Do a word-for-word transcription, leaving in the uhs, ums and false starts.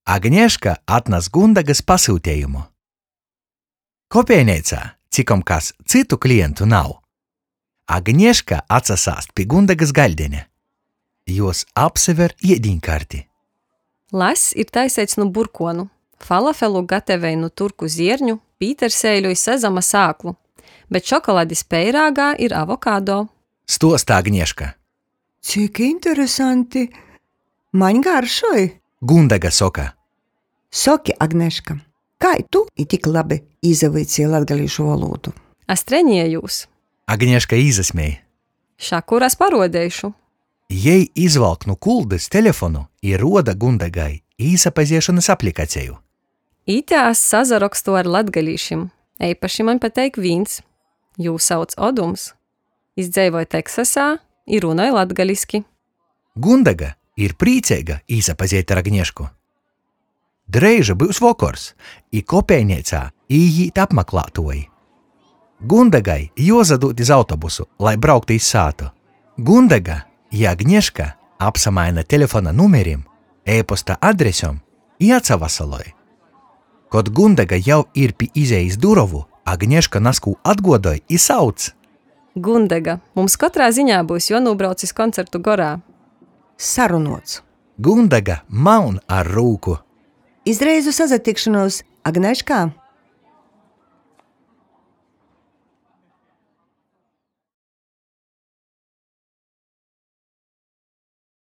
Agnieszka atnas Gundegys pasyutejumu. Kopejneicā cikom kas cytu klientu nav. Agnieszka atsasāst pi Gundegys gaļdeņa. Juos apsaver iedīņkarti. Lass ir taiseits nu burkuonu, falafelu gatavej nu turku zierņu, pīterseiļu i sezama sāklu, bet šokoladis peirāgā ir avokado. Stuosta Agnieszka. Cik interesanti! Maņ garšoj! Gundega soka. Soki, Agneška, kai tu i tik labi īsavuiceji latgalīšu volūdu? Es treniejūs. Agnieszka īsasmej. Šakur es paruodeišu. Jei izvalk nu kuldys telefonu i ruoda Gundegai īsapaziešonys aplikaceju. Ite es sasarokstu ar latgalīšim. Eipaši maņ pateik vīns. Jū sauc Odums. Jis dzeivoj Teksasā i runoj latgaliski. Gundega ir prīceiga īsapazeit ar Agniešku. Dreiži byus vokors, i kopejneicā īīt apmaklātuoji. Gundegai juozadūd iz autobusu, lai brauktu iz sātu. Gundega i Agnieszka apsamaina telefona numerim, e-posta adresom i atsavasaloj. Kod Gundega jau ir pi izejis durovu, Agnieszka nazkū atguodoj i sauc. Gundega, mums kotrā ziņā byus juonūbrauc iz koncertu Gorā. Sarunuots! Gundega maun ar rūku. Iz reizu sasatikšonūs, Agneška!